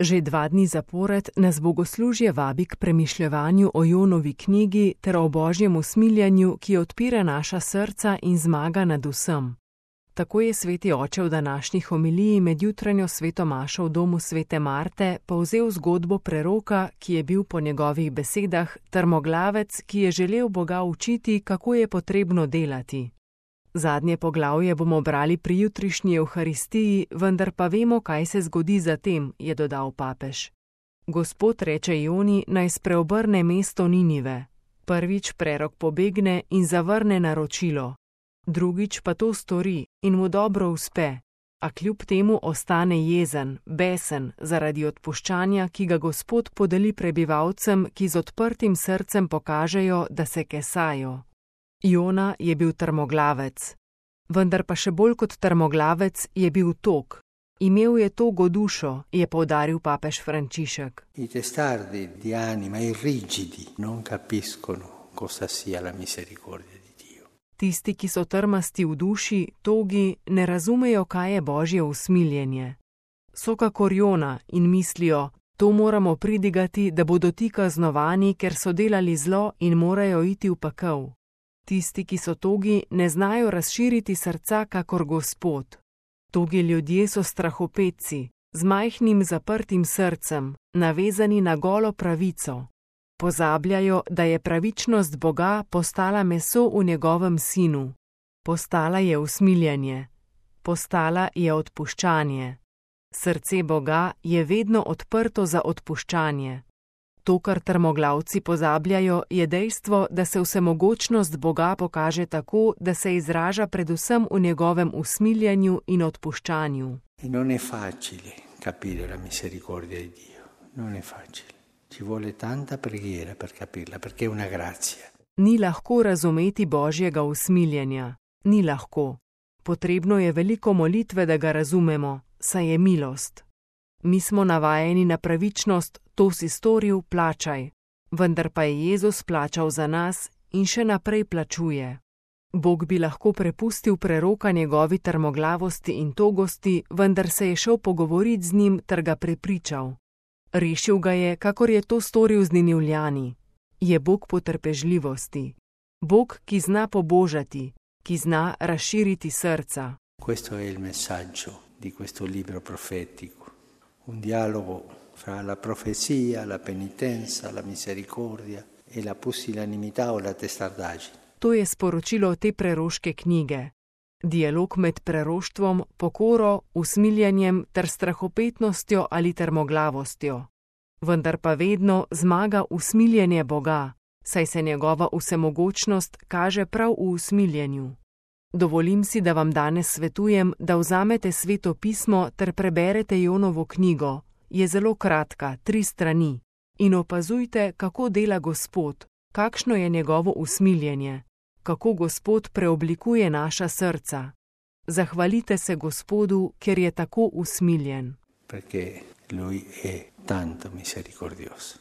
Že 2 dni zapored nas bogoslužje vabi k premišljevanju o Jonovi knjigi ter o Božjem usmiljenju, ki odpira naša srca in zmaga nad vsem. Tako je sveti oče v današnji homiliji med jutranjo sveto mašo v domu svete Marte povzel zgodbo preroka, ki je bil po njegovih besedah trmoglavec, ki je želel Boga učiti, kako je potrebno delati. Zadnje poglavje bomo brali pri jutrišnji Evharistiji, vendar pa vemo, kaj se zgodi zatem, je dodal papež. Gospod reče Joni, naj spreobrne mesto Ninive. Prvič prerok pobegne in zavrne naročilo. Drugič pa to stori in mu dobro uspe, a kljub temu ostane jezen, besen zaradi odpuščanja, ki ga Gospod podeli prebivalcem, ki z odprtim srcem pokažejo, da se kesajo. Jona je bil trmoglavec, vendar pa še bolj kot trmoglavec je bil tog. Imel je togo dušo, je poudaril papež Frančišek. I testardi di anima, i rigidi, non capiscono cosa sia la misericordia di Dio. Tisti, ki so trmasti v duši, togi, ne razumejo, kaj je Božje usmiljenje. So kakor Jona in mislijo, to moramo pridigati, da bodo ti kaznovani, ker so delali zlo in morajo iti v pekel. Tisti, ki so togi, ne znajo razširiti srca kakor Gospod. Togi ljudje so strahopetci, z majhnim zaprtim srcem, navezani na golo pravico. Pozabljajo, da je pravičnost Boga postala meso v njegovem sinu. Postala je usmiljenje. Postala je odpuščanje. Srce Boga je vedno odprto za odpuščanje. To, kar trmoglavci pozabljajo, je dejstvo, da se vsemogočnost Boga pokaže tako, da se izraža predvsem v njegovem usmiljenju in odpuščanju. Non è facile capire la misericordia di Dio, non è facile. Ci vuole tanta preghiera per capirla, perché è una grazia. Ni lahko razumeti Božjega usmiljenja. Ni lahko. Potrebno je veliko molitve, da ga razumemo, saj je milost. Mi smo navajeni na pravičnost, to si storil, plačaj. Vendar pa je Jezus plačal za nas in še naprej plačuje. Bog bi lahko prepustil preroka njegovi trmoglavosti in togosti, vendar se je šel pogovoriti z njim ter ga prepričal. Rešil ga je, kakor je to storil z Ninivljani. Je Bog potrpežljivosti. Bog, ki zna pobožati, ki zna razširiti srca. Questo è il messaggio di questo libro profetico. Un dialogo fra la profezia, la penitenza, la misericordia e la pusillanimità o la testardaggine. To je sporočilo te preroške knjige. Dialog med preroštvom, pokoro, usmiljenjem ter strahopetnostjo ali trmoglavostjo. Vendar pa vedno zmaga usmiljenje Boga, saj se njegova vsemogočnost kaže prav v usmiljenju. Dovolim si, da vam danes svetujem, da vzamete Sveto pismo ter preberete Jonovo knjigo. Je zelo kratka, 3 strani. In opazujte, kako dela Gospod, kakšno je njegovo usmiljenje, kako Gospod preoblikuje naša srca. Zahvalite se Gospodu, ker je tako usmiljen. Perché lui è tanto misericordioso.